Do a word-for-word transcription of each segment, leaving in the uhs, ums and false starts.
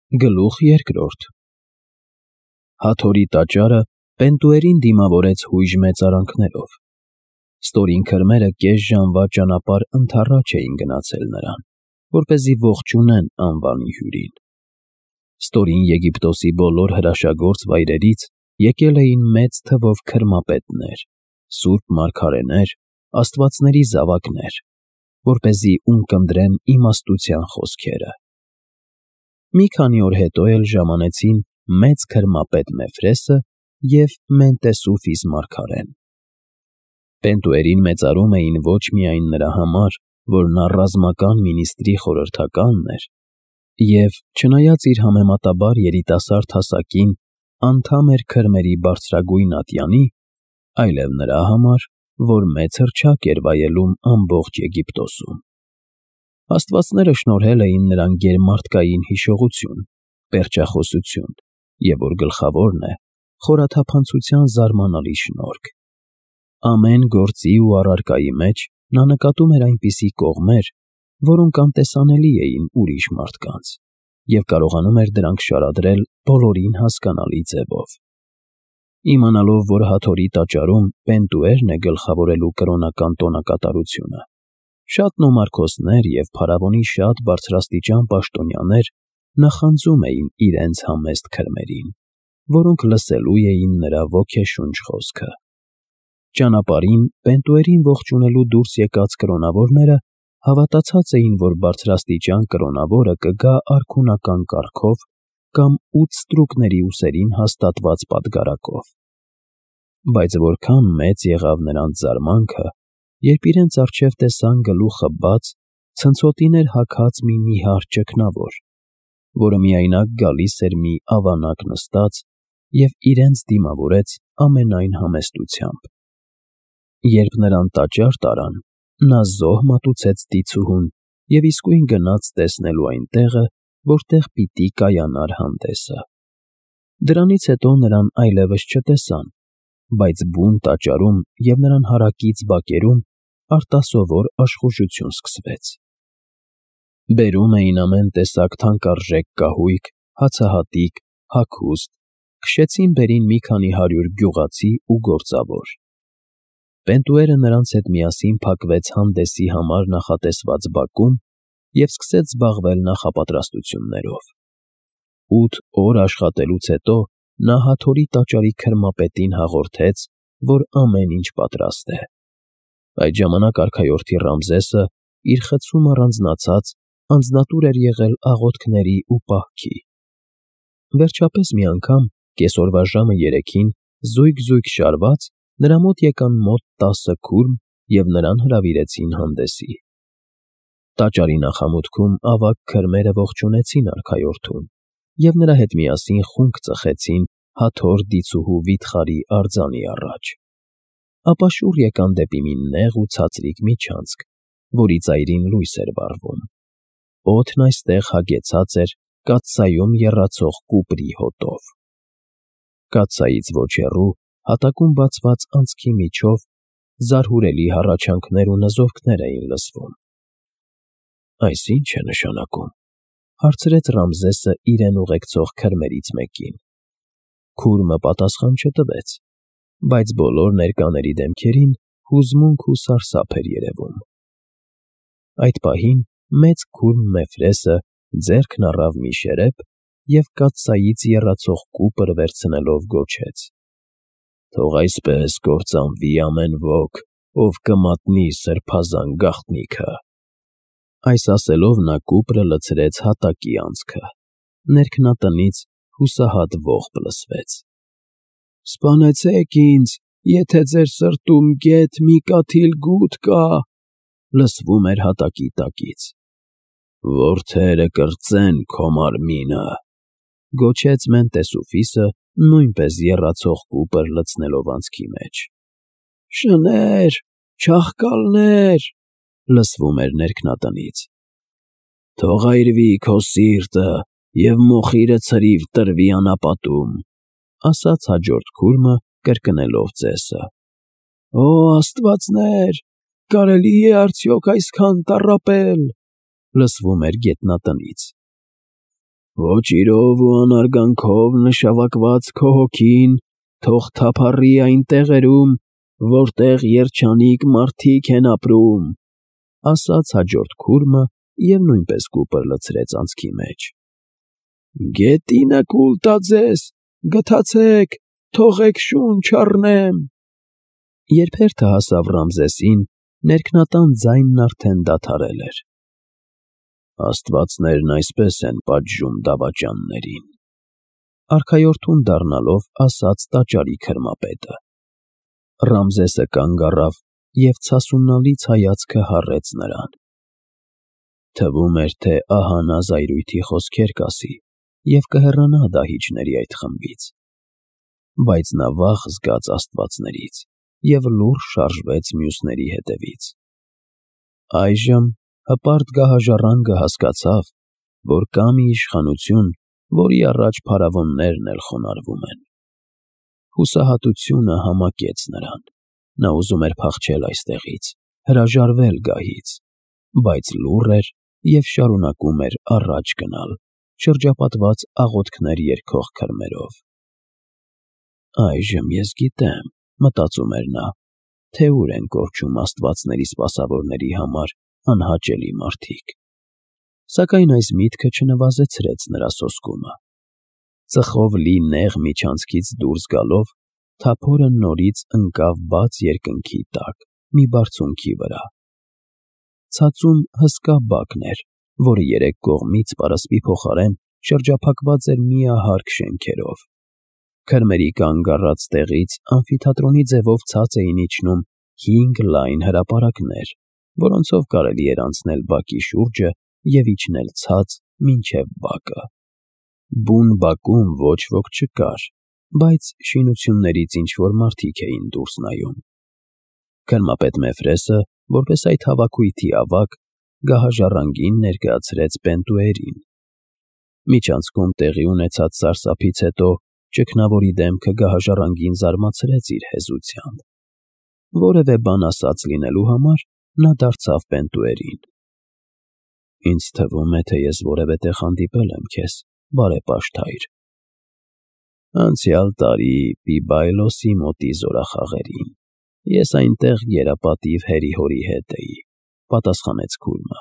Գլուխ երկրորդ Հաթորի տաճարը Պենտուերին դիմավորեց հույժ մեծարանքներով։ Ստորին քրմերը կես ժամվա ճանապարհ ընդառաջ էին գնացել նրան, որպեսզի ողջունեն անվանի հյուրին։ Ստորին Եգիպտոսի բոլոր հրաշագործ վայրերից եկել էին մեծ թվով քրմապետներ, սուրբ մարգարեներ, աստվածների զավակներ, որպեսզի ունկնդրեն իմաստության խոսքերը։ Մի քանի օր հետո էլ ժամանեցին մեծ քրմապետ Մեֆրեսը և Մենտեսուֆիս մարգարեն։ Պենտուերին մեծարում էին ոչ միայն նրա համար, որ նա ռազմական մինիստրի խորհրդականն էր, և, չնայած իր համեմատաբար երիտասարդ հասակին, անդամ էր քրմերի բարձրագույն ատյանի, այլև նրա համար, որ մեծ հռչակ էր վայելում ամբողջ Եգիպտոսում։ Աստվածները շնորհել էին նրան գերմարդկային հիշողություն, պերճախոսություն և, որ գլխավորն է, խորաթափանցության զարմանալի շնորհք։ Ամեն գործի ու առարկայի մեջ նա նկատում էր այնպիսի կողմեր, որոնք անտեսանելի էին ուրիշ մարդկանց, և կարողանում էր դրանք շարադրել բոլորին հասկանալի ձևով։ Իմանալով, որ Հաթորի տաճարում Պենտուերն է գլխավորելու կրոնական տոնակատարությունը, շատ նոմարքոսներ և փարավոնի շատ բարձրաստիճան պաշտոնյաներ նախանձում էին իրենց համեստ քրմերին, որոնք լսելու էին նրա ոգեշունչ խոսքը։ Ճանապարհին Պենտուերին ողջունելու դուրս եկած կրոնավորները հավատացած էին, որ բարձրաստիճան կրոնավորը կգա արքունական կառքով կամ ութ ստրուկների ուսերին հաստատված պատգարակով։ Բայց որքան մեծ եղավ նրանց զարմանքը, երբ իրենց առջև տեսան գլուխը բաց, ցնցոտիներ հագած մի նիհար ճգնավոր, որը միայնակ գալիս էր մի ավանակ նստած և իրենց դիմավորեց ամենայն համեստությամբ։ Երբ նրան տաճար տարան, նա զոհ մատուցեց դիցուհուն և իսկույն գնաց տեսնելու այն տեղը, որտեղ պիտի կայանար հանդեսը։ Դրանից հետո նրան այլևս չտեսան, բայց բուն տաճարում և նրան հարակից բակերում արտասովոր աշխուժություն սկսվեց։ Բերում էին ամեն տեսակ թանկարժեք կահույք, հացահատիկ, հագուստ, քշեցին բերին մի քանի հարյուր գյուղացի ու գործավոր։ Պենտուերը նրանց հետ միասին փակվեց հանդեսի համար նախատեսված բակում և սկսեց զբաղվել նախապատրաստություններով։ Ութ օր աշխատելուց հետո նա Հաթորի տաճարի քրմապետին հաղորդեց, որ ամեն ինչ պատրաստ է։ Այդ ժամանակ արքայորդի Ռամզեսը, իր խցում առանձնացած, անձնատուր էր եղել աղոթքների ու պահքի։ Վերջապես մի անգամ, կեսօրվա ժամը երեքին, զույգ-զույգ շարված, նրա մոտ եկան մոտ տասը քուրմ և նրան հրավիրեցին հանդեսի։ Տաճարի նախամուտքում ավագ քրմերը ողջունեցին արքայորդուն և նրա հետ միասին խունկ ծխեցին Հաթոր դիցուհու վիթխարի արձանի առաջ։ Ապա շուռ եկան դեպի մի նեղ ու ցածրիկ միջանցք, որի ծայրին լույս էր վառվում։ Օդն այստեղ հագեցած էր կաթսայում եռացող կուպրի հոտով։ Կաթսայից ոչ հեռու, հատակում բացված անցքի միջով, զարհուրելի հառաչանքներ ու նզովքներ էին լսվում։ «Այս ի՞նչ է նշանակում», հարցրեց Ռամզեսը իրեն ուղեկցող քրմերից մեկին։ Քուրմը պատասխան չտվեց, բայց բոլոր ներկաների դեմքերին հուզմունք ու սարսափ էր երևում։ Այդ պահին մեծ քուրմ Մեֆրեսը ձեռքն առավ մի շերեփ և կաթսայից եռացող կուպր վերցնելով գոչեց. «Թող այսպես կործանվի ամեն ոք, ով կմատնի սրբազան գաղտնիքը»։ Այս ասելով նա կուպրը լցրեց հատակի անցքը։ Ներքնատնից հուսահատ ողբ լսվեց. «Սպանեցեք ինձ, եթե ձեր սրտում գեթ մի կաթիլ գութ կա», լսվում էր հատակի տակից։ «Որդերը կրծեն քո մարմինը», գոչեց Մենտեսուֆիսը, նույնպես եռացող կուպր լցնելով անցքի մեջ։ «Շներ, չաղկալներ», լսվում էր ներքնատնից։ «Թող այրվի քո սիրտը և մոխիրը ցրիվ տրվի անապատում», ասաց հաջորդ քուրմը կրկնելով ծեսը։ «Օ աստվածներ, կարելի է արդյոք այսքան տառապել», լսվում էր գետնատնից։ Ոչ իրով ու անարգանքով նշավակված քո հոգին թող թափառի այն տեղերում, որտեղ երջանիկ մարդիկ են ապրում, ասաց հաջորդ քուրմը և նույնպես կուպր լցրեց անցքի մեջ։ Գետինը կուլ տա ձեզ, գթացեք, թողեք շունչ առնեմ։ Երբ հերթը հասավ Ռամզեսին, ներքնատան ձայնն արդեն դադարել էր։ Աստվածներն այսպես են պատժում դավաճաններին, արքայորդուն դառնալով ասաց տաճարի քրմապետը։ Ռամզեսը կանգ առավ և ցասունալից հայացքը հառեց նրան։ Թվում էր, թե ահա նա զայրույթի խոսքեր կասի և կհեռանա դահիճների այդ խմբից, բայց նա վախ զգաց աստվածներից և լուռ շարժվեց մյուսների հետևից։ Այժմ հպարտ գահաժառանգը հասկացավ, որ կա մի իշխանություն, որի առաջ փարավոններն էլ խոնարհվում են։ Հուսահատությունը համակեց նրան։ Նա ուզում էր փախչել այստեղից, հրաժարվել գահից, բայց լուռ էր և շարունակում էր առաջ գնալ, շրջապատված աղոթքներ երգող քրմերով։ Այժմ ես գիտեմ, մտածում էր նա, թե ուր են կորչում աստվածների սպասավորների համար անհաճելի մարդիկ։ Սակայն այս միտքը չնվազեցրեց նրա սոսկումը։ Ծխով լի նեղ միջանցքից դուրս գալով, թափորը նորից ընկավ բաց երկնքի տակ մի բարձունքի վրա։ Ցածում հսկա բակն էր, որը երեք կողմից պարսպի փոխարեն շրջափակված էր միահարկ շենքերով։ Քրմերի կանգ առած տեղից ամֆիթատրոնի ձևով ցած էին իջնում հինգ լայն հրապարակներ, որոնցով կարելի էր անցնել բակի շուրջը և իջնել ցած մինչև բակը։ Բուն բակում ոչ ոք չկար, բայց շինություններից ինչ-որ մարդիկ էին դուրս նայում։ Քրմապետ Մեֆրեսը, որպես այդ հավաքույթի ավագ, գահաժառանգին ներկայացրեց Պենտուերին։ Միջանցքում տեղի ունեցած սարսափից հետո ճգնավորի դեմքը գահաժառանգին զարմացրեց իր հեզությամբ։ Որևէ բան ասած լինելու համար նա դարձավ Պենտուերին։ Ինձ թվում է, թե ես որևէ տեղ հանդիպել եմ քեզ, բարեպաշտ հայր։ Անցյալ տարի Պիբայլոսի մոտի զորախաղերին ես այնտեղ գերապատիվ հերի-հորի հետ էի, պատասխանեց քուրմը։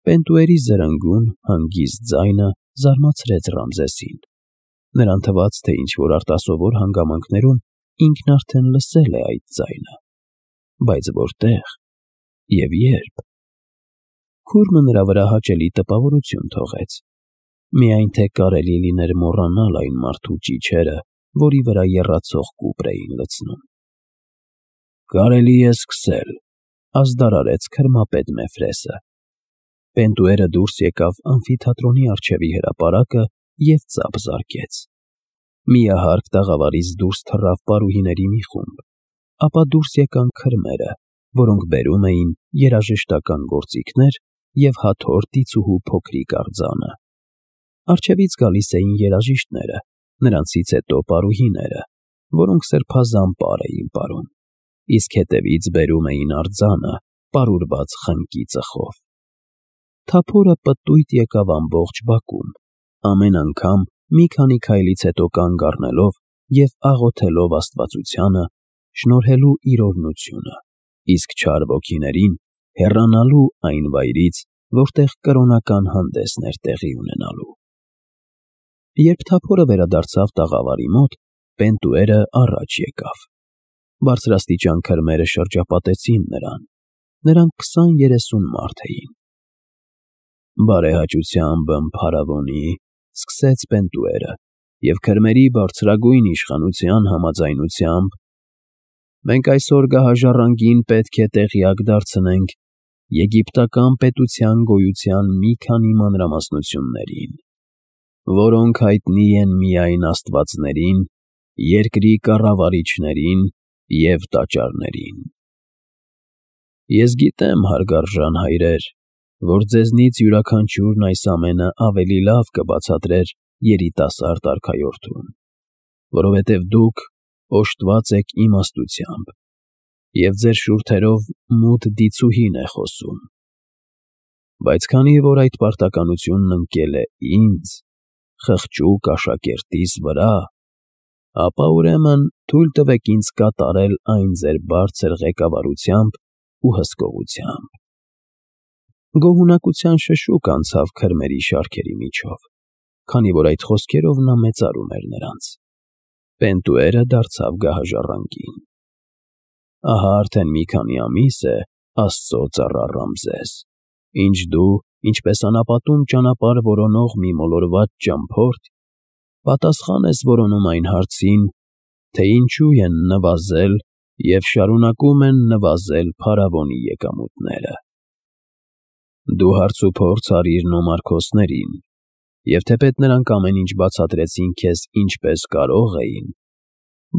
Պենտուերի զրնգուն, հանգիստ ձայնը զարմացրեց Ռամզեսին։ Նրան թվաց, թե ինչ-որ արտասովոր հանգամանքներում ինքն արդեն լսել է այդ ձայնը, բայց որտեղ և երբ։ Քուրմը նրա վրա հաճելի տպավորություն թողեց։ Միայն թե կարելի լիներ մոռանալ այն մարդու ճիչերը, որի վրա եռացող կուպր էին լցնում։ Կարելի է սկսել, ազդարարեց քրմապետ Մեֆրեսը։ Պենտուերը դուրս եկավ ամֆիթատրոնի առջևի հրապարակը և ծափ զարկեց։ Միահարկ տաղավարից դուրս թռավ պարուհիների մի խումբ, ապա դուրս եկան քրմերը, որոնք բերում էին երաժշտական գործիքներ և հաթոռ դիցուհու փոքրիկ արձանը։ Առջևից գալիս էին երաժիշտները, նրանցից հետո պարուհիները, որոնք սրբազան պար էին պարում, իսկ հետևից բերում էին արձանը, պարուրված խնկի ծխով։ Թափորը պտույտ եկավ ամբողջ բակում, ամեն անգամ մի քանի քայլից հետո կանգ առնելով և աղոթելով աստվածությանը, շնորհելու իր օրհնությունը, իսկ չար ոգիներին հեռանալու այն վայրից, որտեղ կրոնական հանդեսն էր տեղի ունենալու։ Երբ թափորը վերադարձավ տաղավարի մոտ, Պենտուերը առաջ եկավ։ Բարձրաստիճան քրմերը շրջապատեցին նրան։ Նրանք քսան֊երեսուն մարդ էին։ Բարեհաճությամբ ըմփարավոնի, սկսեց Պենտուերը, և քրմերի բարձրագույն իշխանության համաձայնությամբ մենք այսօր գահաժառանգին պետք է տեղյակ դարձնենք եգիպտական պետության գոյության մի քանի մանրամասնություններին, որոնք հայտնի են միայն աստվածներին, երկրի կառավարիչներին և տաճարներին։ Ես գիտեմ, հարգարժան հայրեր, որ ձեզնից յուրաքանչյուրն այս ամենը ավելի լավ կբացատրեր երիտասարդ արքայորդուն, որովհետև դուք օժտված եք իմաստությամբ, և ձեր շուրթերով մութ դիցուհին է խոսում։ Բայց քանի որ այդ պարտականությունն ընկել է ինձ, խղճուկ աշակերտիս վրա, ապա ուրեմն թույլ տվեք ինձ կատարել այն ձեր բարձր ղեկավարությամբ ու հսկողությամբ։ Գոհունակության շշուկ անցավ քրմերի շարքերի միջով, քանի որ այդ խոսքերով նա մեծարում էր նրանց։ Պենտուերը դարձավ գահաժառանգին։ Ահա արդեն մի քանի ամիս է, Աստծո ծառա Ռամզես, ինչ դու, ինչպես անապատում ճանապարհ որոնող մի մոլորված ճամփորդ, պատասխան ես որոնում այն հարցին, թե ինչու են նվազել և շարունակում են նվազել փարավոնի եկամուտները։ Դու հարցուփորձ արիր նոմարքոսներին, և թեպետ նրանք ամեն ինչ բացատրեցին քեզ ինչպես կարող էին,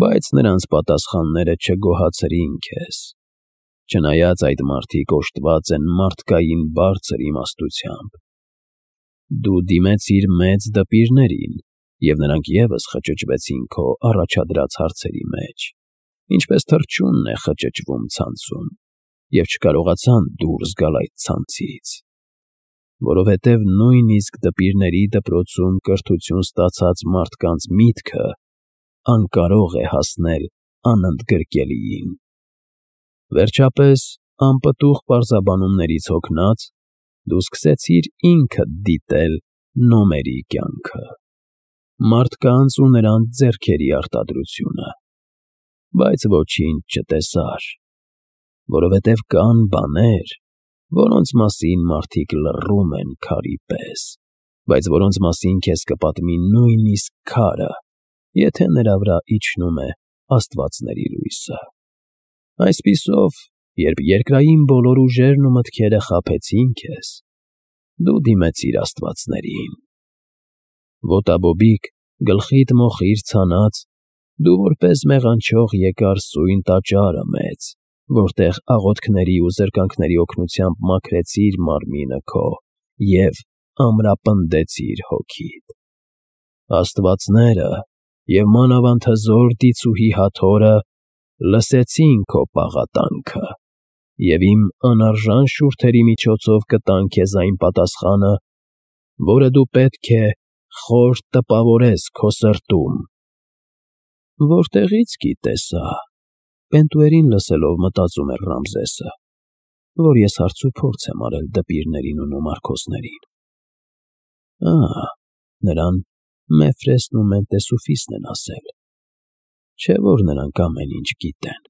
բայց նրանց պատասխանները չգոհացրին քեզ, չնայած այդ մարդիկ օժտված են մարդկային բարձր իմաստությամբ։ Դու դիմեցիր մեծ դպիրներին, և նրանք ևս խճճվեցին քո առաջադրած հարցերի մեջ, ինչպես թռչունն է խճճվում ցանցում, և չկարողացան դուրս գալ այդ ցանցից, որովհետև նույնիսկ դպիրների դպրոցում կրթություն ստացած մարդկանց միտքը անկարող է հասնել անընդգրկելիին։ Վերջապես, անպտուղ պարզաբանումներից հոգնած, դու սկսեցիր ինքդ դիտել նոմերի կյանքը, մարդկանց ու նրանց ձեռքերի արտադրությունը, բայց ոչինչ չտեսար, որովհետև կան բաներ, որոնց մասին մարդիկ լռում են քարի պես, բայց որոնց մասին քեզ կպատմի նույնիսկ քարը, եթե նրա վրա իջնում է աստվածների լույսը։ Այսպիսով, երբ երկրային բոլոր ուժերն ու մտքերը խաբեցին քեզ, դու դիմեցիր աստվածներին։ Ոտաբոբիկ, գլխիդ մոխիր ցանած, դու որպես մեղանչող եկար սույն տաճարը մեծ, որտեղ աղոթքների ու զրկանքների օգնությամբ մաքրեցիր մարմինը քո և ամրապնդեցիր հոգիդ։ Աստվածները և մանավանդ հզոր դիցուհի Հաթորը լսեցին քո պաղատանքը և իմ անարժան շուրթերի միջոցով կտան քեզ այն պատասխանը, որը դու պետք է խոր տպավորես քո սրտում։ Որտեղի՞ց գիտես ա, Պենտուերին լսելով մտածում էր Ռամզեսը, որ ես հարցուփորձ եմ արել դպիրներին ու նոմարքոսներին։ Ա՜, նրան Մեֆրեսն ու Մենտեսուֆիսն են ասել, չէ՞ որ նրանք ամեն ինչ գիտեն։